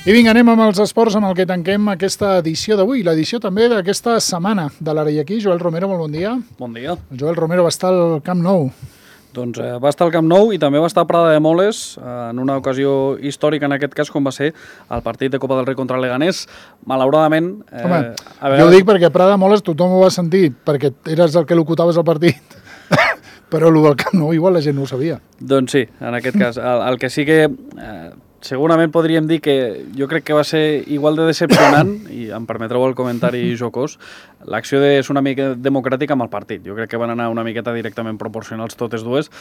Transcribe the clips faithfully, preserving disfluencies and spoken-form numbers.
I vinga, anem amb els esports amb el que tanquem aquesta edició d'avui, l'edició també d'aquesta setmana de l'Ara i aquí. Joel Romero, molt bon dia. Bon dia. El Joel Romero va estar al Camp Nou. Doncs eh, va estar al Camp Nou i també va estar a Prada de Moles eh, en una ocasió històrica, en aquest cas, com va ser el partit de Copa del Rei contra el Leganés. Malauradament... Eh, Home, a veure... jo ho dic perquè a Prada de Moles tothom ho va sentir, perquè eres el que locutaves el partit. Però el del Camp Nou igual la gent no ho sabia. Doncs sí, en aquest cas. El, el que sí que... Eh, segurament podríem dir que jo crec que va ser igual de decepcionant, i em permetreu el comentari jocós, l'acció de ser una mica democràtica amb el partit. Jo crec que van anar una miqueta directament proporcionals totes dues,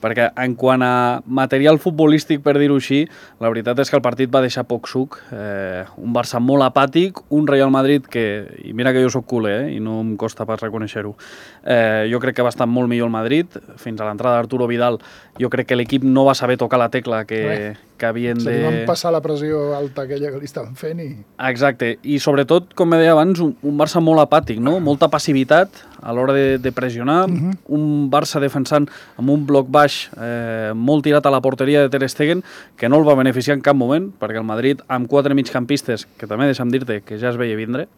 perquè en quant a material futbolístic, per dir-ho així, la veritat és que el partit va deixar poc suc. Eh, un Barça molt apàtic, un Real Madrid que, i mira que jo soc culer, eh, i no em costa pas reconèixer-ho, eh, jo crec que va estar molt millor el Madrid. Fins a l'entrada d'Arturo Vidal, jo crec que l'equip no va saber tocar la tecla que... Eh. que havien de... Se li van passar la pressió alta aquella que li estaven fent i... Exacte, i sobretot, com me deia abans, un, un Barça molt apàtic, no? Molta passivitat a l'hora de, de pressionar, uh-huh. Un Barça defensant amb un bloc baix eh, molt tirat a la porteria de Ter Stegen, que no el va beneficiar en cap moment, perquè el Madrid, amb quatre migcampistes, que també deixa'm dir-te que ja es veia vindre,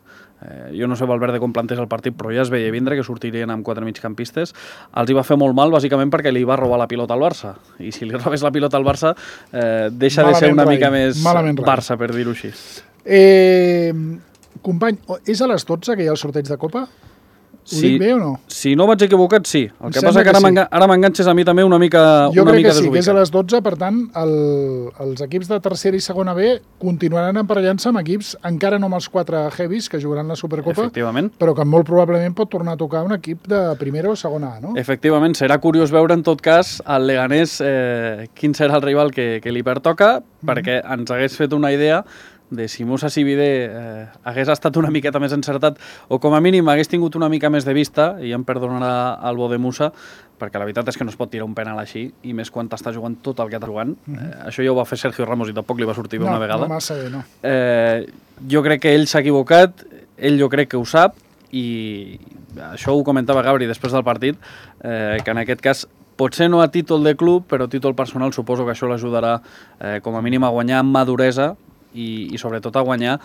Eh, jo no sé Valverde com plantés el partit, però ja es veia vindre que sortirien amb quatre migcampistes. Els hi va fer molt mal, bàsicament perquè li va robar la pilota al Barça. I si li robés la pilota al Barça, eh, deixa malament de ser una rai. mica més malament Barça, rai. Per dir-ho així. Eh, company, és a les dotze que hi ha el sorteig de Copa? Ho sí, dic bé o no? Si no vaig equivocat, sí. El em que passa que, que ara, sí. ara m'enganxes a mi també una mica desubicat. Jo crec que sí, que és a les dotze, per tant, el, els equips de tercera i segona B continuaran emparellant-se amb equips, encara no amb els quatre heavies que jugaran la Supercopa, però que molt probablement pot tornar a tocar un equip de primera o segona A, no? Efectivament, serà curiós veure en tot cas al Leganés eh, quin serà el rival que, que li pertoca, mm-hmm. perquè ens hagués fet una idea de si Moussa Sibide eh, hagués estat una miqueta més encertat o com a mínim hagués tingut una mica més de vista, i em perdonarà el bo de Moussa, perquè la veritat és que no es pot tirar un penal així, i més quan està jugant tot el que està jugant. Mm-hmm. eh, això ja ho va fer Sergio Ramos i tampoc li va sortir bé no, una vegada. No massa bé, no. Eh, jo crec que ell s'ha equivocat, ell jo crec que ho sap, i això ho comentava Gabri després del partit, eh, que en aquest cas potser no a títol de club, però a títol personal suposo que això l'ajudarà eh, com a mínim a guanyar amb maduresa, I, i sobretot a guanyar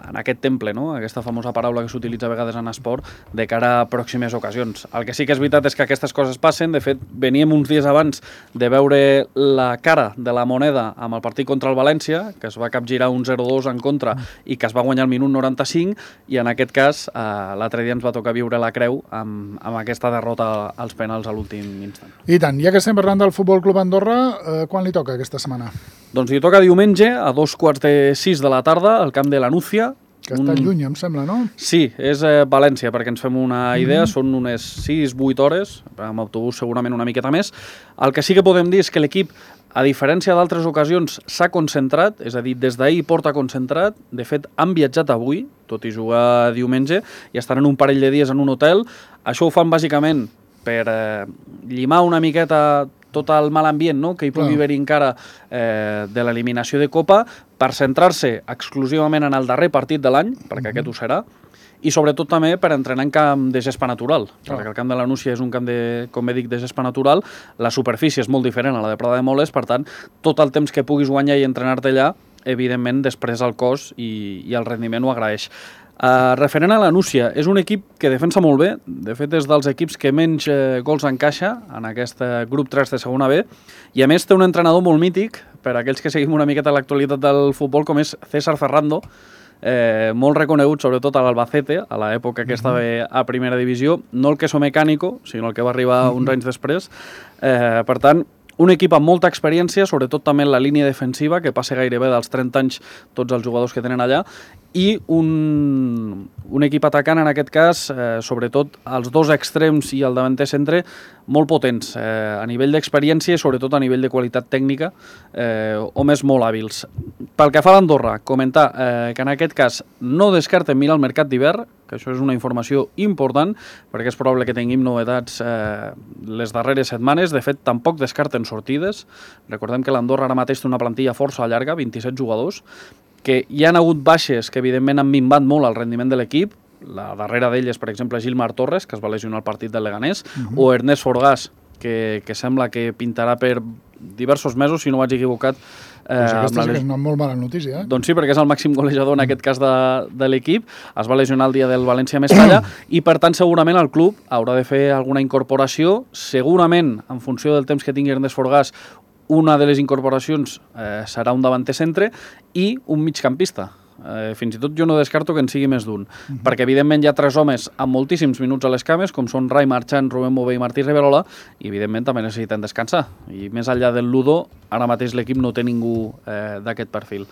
en aquest temple, no? Aquesta famosa paraula que s'utilitza a vegades en esport, de cara a pròximes ocasions. El que sí que és veritat és que aquestes coses passen. De fet, veníem uns dies abans de veure la cara de la moneda amb el partit contra el València, que es va capgirar un zero dos en contra i que es va guanyar al minut noranta-cinc, i en aquest cas eh, l'altre dia ens va tocar viure la creu amb, amb aquesta derrota als penals a l'últim instant. I tant, ja que estem parlant del Futbol Club Andorra, eh, quan li toca aquesta setmana? Doncs li toca diumenge a dos quarts de sis de la tarda al camp de la Núcia. Que està un... lluny, em sembla, no? Sí, és eh, València, perquè ens fem una idea, mm-hmm. Són unes sis vuit hores, amb autobús segurament una miqueta més. El que sí que podem dir és que l'equip, a diferència d'altres ocasions, s'ha concentrat, és a dir, des d'ahir porta concentrat. De fet, han viatjat avui, tot i jugar diumenge, i estaran un parell de dies en un hotel. Això ho fan bàsicament per eh, llimar una miqueta tot el mal ambient, no?, que hi pugui haver encara eh, de l'eliminació de Copa, per centrar-se exclusivament en el darrer partit de l'any, perquè aquest ho serà, i sobretot també per entrenar en camp de gespa natural, oh. perquè el camp de la Núcia és un camp de, com bé dic, de gespa natural, la superfície és molt diferent a la de Prada de Moles, per tant, tot el temps que puguis guanyar i entrenar-te allà, evidentment, després el cos i, i el rendiment ho agraeix. Uh, referent a la Núcia, és un equip que defensa molt bé, de fet és dels equips que menys eh, gols encaixa en aquest grup tres de segona B, i a més té un entrenador molt mític, per a aquells que seguim una miqueta l'actualitat del futbol, com és César Ferrando, eh, molt reconegut sobretot a l'Albacete, a l'època que estava a primera divisió, no el queso mecànico, sinó el que va arribar uns anys després. Eh, per tant, un equip amb molta experiència, sobretot també en la línia defensiva, que passa gairebé dels trenta anys tots els jugadors que tenen allà, i un, un equip atacant, en aquest cas, eh, sobretot els dos extrems i el davanter centre, molt potents, eh, a nivell d'experiència i sobretot a nivell de qualitat tècnica, eh, homes molt hàbils. Pel que fa a l'Andorra, comentar eh, que en aquest cas no descarten mirar el mercat d'hivern, que això és una informació important, perquè és probable que tinguem novetats eh, les darreres setmanes. De fet, tampoc descarten sortides. Recordem que l'Andorra ara mateix té una plantilla força llarga, vint-i-set jugadors, que hi han hagut baixes que evidentment han minvat molt el rendiment de l'equip. La darrera d'elles, per exemple, Gilmar Torres, que es va lesionar al partit del Leganés, uh-huh. o Ernest Forgàs, que, que sembla que pintarà per diversos mesos, si no vaig equivocat. Eh, pues aquesta sí que és una molt mala notícia, eh? Doncs sí, perquè és el màxim golejador en aquest cas de, de l'equip, es va lesionar el dia del València-Mestalla i per tant segurament el club haurà de fer alguna incorporació, segurament en funció del temps que tingui Ernest Forgàs una de les incorporacions eh, serà un davanter centre i un migcampista. Eh, fins i tot jo no descarto que en sigui més d'un, uh-huh. perquè evidentment hi ha tres homes amb moltíssims minuts a les cames, com són Rai Marchant, Rubén Bové i Martí Riverola, i evidentment també necessiten descansar. I més enllà del Ludo, ara mateix l'equip no té ningú eh, d'aquest perfil.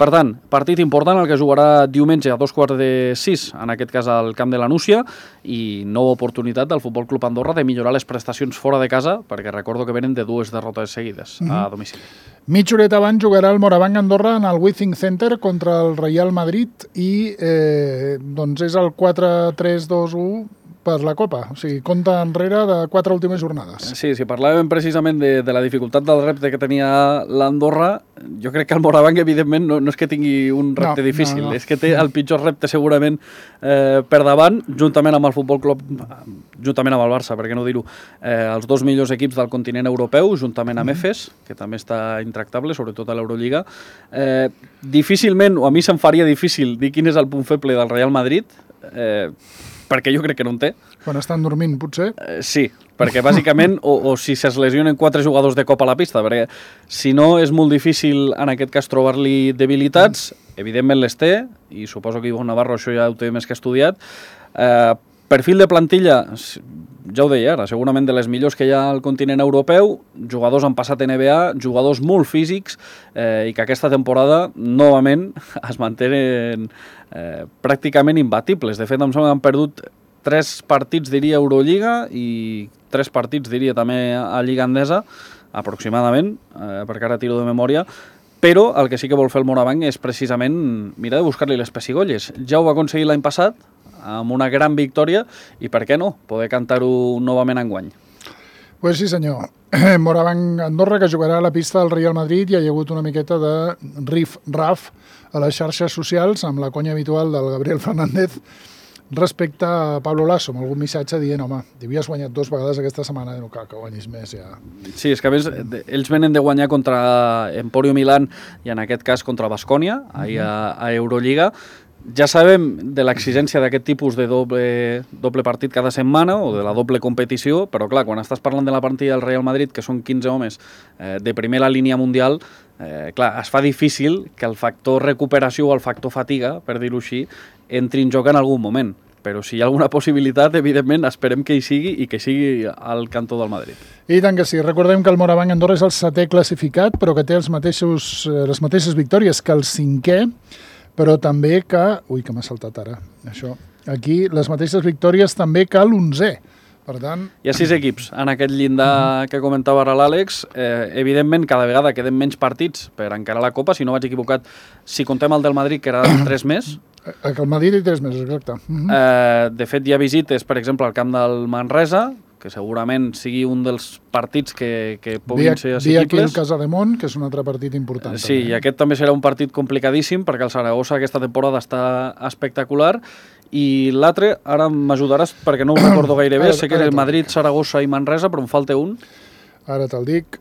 Per tant, partit important el que jugarà diumenge a dos quarts de sis, en aquest cas al camp de la Núcia, i nova oportunitat del Futbol Club Andorra de millorar les prestacions fora de casa, perquè recordo que venen de dues derrotes seguides uh-huh. a domicili. Mitja horeta abans jugarà el Morabanc Andorra en el Withing Center contra el Real Madrid i eh, doncs és el quatre tres dos u per la Copa, o sigui, compta enrere de quatre últimes jornades. Sí, si parlàvem precisament de, de la dificultat del repte que tenia l'Andorra, jo crec que el Morabanc, evidentment, no, no és que tingui un repte no, difícil, no, no. és que té el pitjor repte segurament eh, per davant, juntament amb el Futbol Club, juntament amb el Barça, per què no dir-ho, eh, els dos millors equips del continent europeu, juntament amb mm. Efes, que també està intractable, sobretot a l'Eurolliga. Eh, difícilment, o a mi se'm faria difícil dir quin és el punt feble del Real Madrid, eh, perquè jo crec que no en té. Quan estan dormint, potser? Eh, sí, perquè bàsicament, o, o si es lesionen quatre jugadors de cop a la pista, perquè si no és molt difícil en aquest cas trobar-li debilitats, evidentment les té, i suposo que Ivo Navarro això ja ho té més que estudiat. Eh, perfil de plantilla, ja ho deia ara, segurament de les millors que hi ha al continent europeu, jugadors han passat N B A, jugadors molt físics, eh, i que aquesta temporada, novament, es mantenen eh, pràcticament imbatibles. De fet, em sembla que han perdut tres partits, diria, Eurolliga, i tres partits, diria, també a Lliga Endesa, aproximadament, eh, perquè ara tiro de memòria, però el que sí que vol fer el Morabanc és precisament mirar de buscar-li les pessigolles. Ja ho va aconseguir l'any passat, amb una gran victòria, i per què no? Poder cantar-ho novament enguany. Pues sí, senyor. Morabanc Andorra, que jugarà a la pista del Real Madrid, i hi ha hagut una miqueta de rif-raf a les xarxes socials, amb la conya habitual del Gabriel Fernández, respecte a Pablo Lasso, amb algun missatge dient, home, havies guanyat dues vegades aquesta setmana, no cal que guanyis més, ja. Sí, és que a més, ells venen de guanyar contra Emporio Milán, i en aquest cas contra Baskonia, ahir a, a Eurolliga. Ja sabem de l'exigència d'aquest tipus de doble, doble partit cada setmana o de la doble competició, però clar, quan estàs parlant de la partida del Real Madrid, que són quinze homes eh, de primera línia mundial, eh, clar, es fa difícil que el factor recuperació o el factor fatiga, per dir-ho així, entri en joc en algun moment. Però si hi ha alguna possibilitat, evidentment, esperem que hi sigui i que sigui al cantó del Madrid. I tant que sí. Recordem que el Morabanc Andorra és el setè classificat, però que té els mateixos, les mateixes victòries que el cinquè, però també que... Ui, que m'ha saltat ara, això. Aquí, les mateixes victòries també que l'onzè. Per tant... Hi ha sis equips en aquest llindar que comentava ara l'Àlex. Eh, evidentment, cada vegada queden menys partits per encarar la Copa. Si no vaig equivocat, si contem el del Madrid, que era tres més... El Madrid i tres més, exacte. Eh, de fet, hi ha visites, per exemple, al camp del Manresa, que segurament sigui un dels partits que, que puguin ser assequibles. Ve aquí el Casademont, que és un altre partit important. Sí, també. I aquest també serà un partit complicadíssim, perquè el Saragossa aquesta temporada està espectacular, i l'altre, ara m'ajudaràs perquè no ho recordo gaire bé, ara, sé que és el Madrid, Saragossa i Manresa, però em falta un. Ara te'l dic,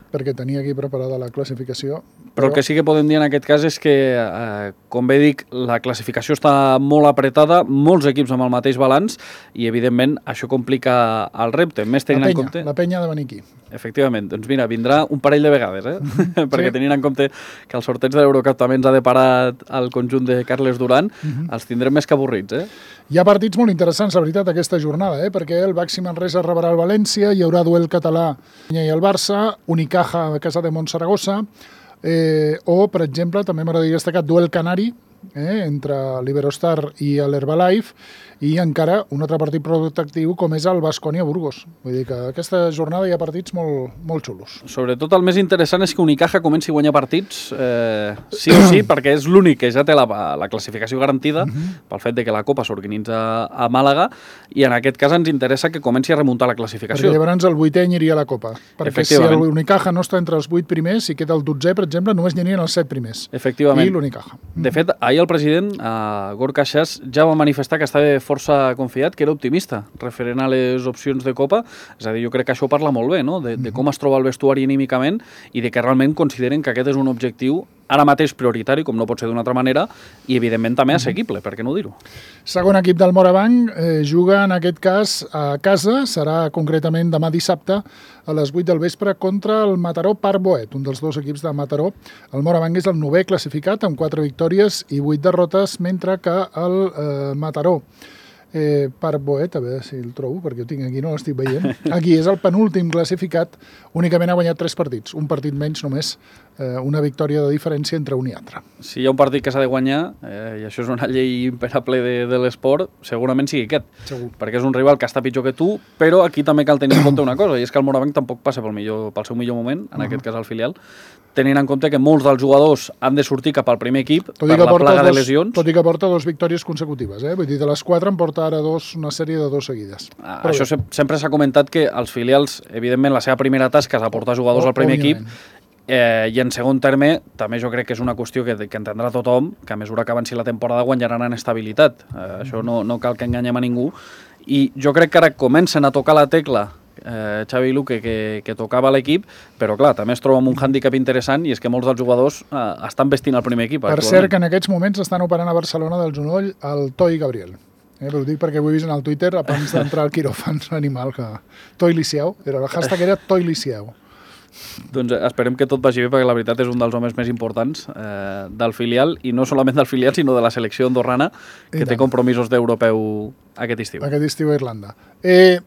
perquè tenia aquí preparada la classificació. Però el que sí que podem dir en aquest cas és que, eh, com bé dic, la classificació està molt apretada, molts equips amb el mateix balanç, i evidentment això complica el repte. Més tenint la penya, en compte... la penya de venir aquí. Efectivament, doncs mira, vindrà un parell de vegades, eh? Mm-hmm. perquè sí. Tenint en compte que el sorteig de l'Eurocup també ens ha deparat al conjunt de Carles Duran, mm-hmm. els tindrem més que avorrits, eh? Hi ha partits molt interessants, la veritat, aquesta jornada, eh? perquè el Baxi Manresa rebrà el València, hi haurà duel català i el Barça, Unicaja a casa de Montsaragossa, eh, o, per exemple, també m'agradaria destacar duel canari, eh, entre l'Iberostar i l'Herbalife, i encara un altre partit protectiu com és el Baskonia-Burgos. Vull dir que aquesta jornada hi ha partits molt, molt xulos. Sobretot el més interessant és que Unicaja comenci a guanyar partits eh, sí o sí, perquè és l'únic que ja té la, la classificació garantida uh-huh. pel fet de que la Copa s'organitza a Màlaga, i en aquest cas ens interessa que comenci a remuntar la classificació. Perquè llavors el vuitè aniria a la Copa. Perquè si l'Unicaja no està entre els vuit primers, si queda el dotzè, per exemple, només n'hi anirien els set primers. Efectivament. I l'Unicaja. De fet, ahir ahir el president, eh, Gorka Xas, ja va manifestar que estava força confiat, que era optimista, referent a les opcions de Copa. És a dir, jo crec que això parla molt bé, no?, de, de com es troba el vestuari anímicament i de que realment consideren que aquest és un objectiu ara mateix prioritari, com no pot ser d'una altra manera, i evidentment també assequible, per què no dir-ho? Segon equip del Morabanc eh, juga en aquest cas a casa, serà concretament demà dissabte a les vuit del vespre contra el Mataró Parc Boet, un dels dos equips de Mataró. El Morabanc és el novè classificat amb quatre victòries i vuit derrotes, mentre que el eh, Mataró Eh, Parc Boet, a veure si el trobo, perquè ho tinc aquí, no l'estic veient. Aquí és el penúltim classificat, únicament ha guanyat tres partits, un partit menys només, eh, una victòria de diferència entre un i altre. Si hi ha un partit que s'ha de guanyar, eh, i això és una llei imperable de, de l'esport, segurament sigui aquest, Segur. Perquè és un rival que està pitjor que tu, però aquí també cal tenir en compte una cosa, i és que el Morabanc tampoc passa pel, millor, pel seu millor moment, en uh -huh. aquest cas el filial, tenint en compte que molts dels jugadors han de sortir cap al primer equip per la plaga de lesions. Tot i que porta dos victòries consecutives, eh? Vull dir, de les quatre en porta ara dos, una sèrie de dos seguides. Ah, això se, sempre s'ha comentat que els filials, evidentment, la seva primera tasca és aportar jugadors oh, al primer òbviament. equip, eh, i en segon terme, també jo crec que és una qüestió que, que entendrà tothom, que a mesura que avanci la temporada guanyaran en estabilitat. Eh, mm. Això no, no cal que enganyem a ningú. I jo crec que ara comencen a tocar la tecla Eh, Xavi i Luque que, que tocava l'equip, però clar, també es troba amb un hàndicap interessant i és que molts dels jugadors eh, estan vestint el primer equip. Per actualment. cert, que en aquests moments estan operant a Barcelona del genoll el Toi Gabriel. Eh, però ho dic perquè ho he vist en el Twitter abans d'entrar al quiròfan animal, que Toi Lisieu, era, el hashtag era Toi Lisieu. Doncs esperem que tot vagi bé, perquè la veritat és un dels homes més importants eh, del filial, i no solament del filial, sinó de la selecció andorrana, que té compromisos d'europeu aquest estiu. Aquest estiu a Irlanda. Eh,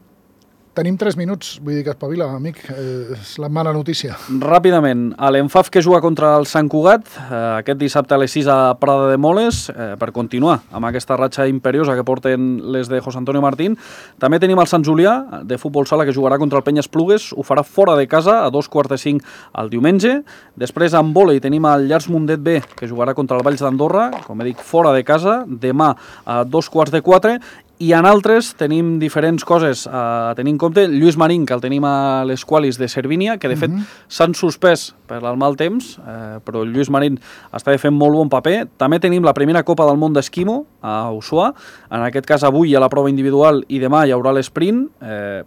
Tenim tres minuts, vull dir que espavila, amic, eh, és la mala notícia. Ràpidament, l'Enfaf que juga contra el Sant Cugat, eh, aquest dissabte a les sis a Prada de Moles, eh, per continuar amb aquesta ratxa imperiosa que porten les de José Antonio Martín. També tenim el Sant Julià, de futbol sala, que jugarà contra el Penyes Plugues, ho farà fora de casa, a dos quarts de cinc el diumenge. Després, en vòlei, tenim el Llars Mundet B, que jugarà contra el Valls d'Andorra, com he dit, fora de casa, demà a dos quarts de quatre. I en altres tenim diferents coses a tenir en compte. Lluís Marín, que el tenim a les qualis de Cervínia, que de fet uh-huh. s'han suspès per el mal temps, eh, però Lluís Marín està fent molt bon paper. També tenim la primera Copa del Món d'Esquimo a Ushuà, en aquest cas avui hi ha la prova individual i demà hi haurà l'esprint. Eh,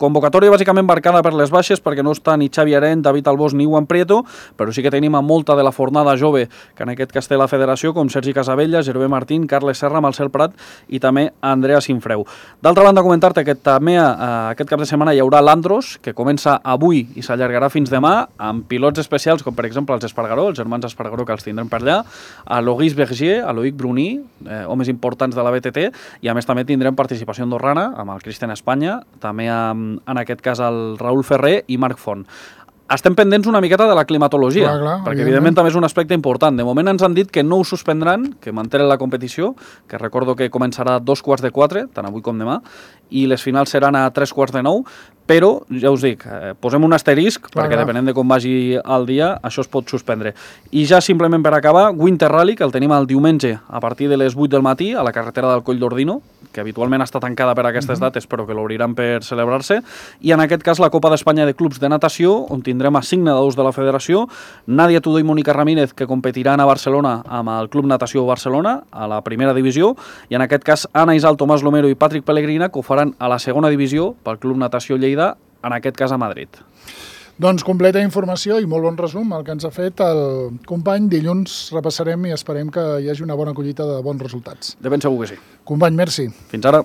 Convocatòria bàsicament marcada per les baixes, perquè no està ni Xavi Arent, David Albós ni Juan Prieto, però sí que tenim a molta de la fornada jove, que en aquest cas té la federació, com Sergi Casabella, Gervé Martín, Carles Serra, Marcel Prat i també Andrea Sinfreu. D'altra banda, comentar-te que també eh, aquest cap de setmana hi haurà l'Andros, que comença avui i s'allargarà fins demà, amb pilots especials, com per exemple els Espargaró, els germans Espargaró, que els tindrem per allà, a Loguis Berger, a Loïc Bruní, eh, homes importants de la B T T, i a més també tindrem participació andorrana, amb el Cristian Espanya, també amb en aquest cas el Raül Ferrer i Marc Font. Estem pendents una miqueta de la climatologia, clar, clar, perquè evidentment també és un aspecte important. De moment ens han dit que no ho suspendran, que mantenen la competició, que recordo que començarà a dos quarts de quatre, tant avui com demà, i les finals seran a tres quarts de nou, però, ja us dic, eh, posem un asterisc, clar, perquè clar. depenent de com vagi el dia, això es pot suspendre. I ja simplement per acabar, Winter Rally, que el tenim el diumenge a partir de les vuit del matí a la carretera del Coll d'Ordino, que habitualment està tancada per aquestes uh-huh. dates, però que l'obriran per celebrar-se, i en aquest cas la Copa d'Espanya de Clubs de Natació, on tindrem a cinc nedadors de la federació, Nàdia Tudó i Mònica Ramírez, que competiran a Barcelona amb el Club Natació Barcelona, a la primera divisió, i en aquest cas Anna Isal, Tomàs Lomero i Patrick Pellegrina, que ho faran a la segona divisió pel Club Natació Lleida, en aquest cas a Madrid. Doncs completa informació i molt bon resum el que ens ha fet el company. Dilluns repassarem i esperem que hi hagi una bona collita de bons resultats. De ben segur que sí. Company, merci. Fins ara.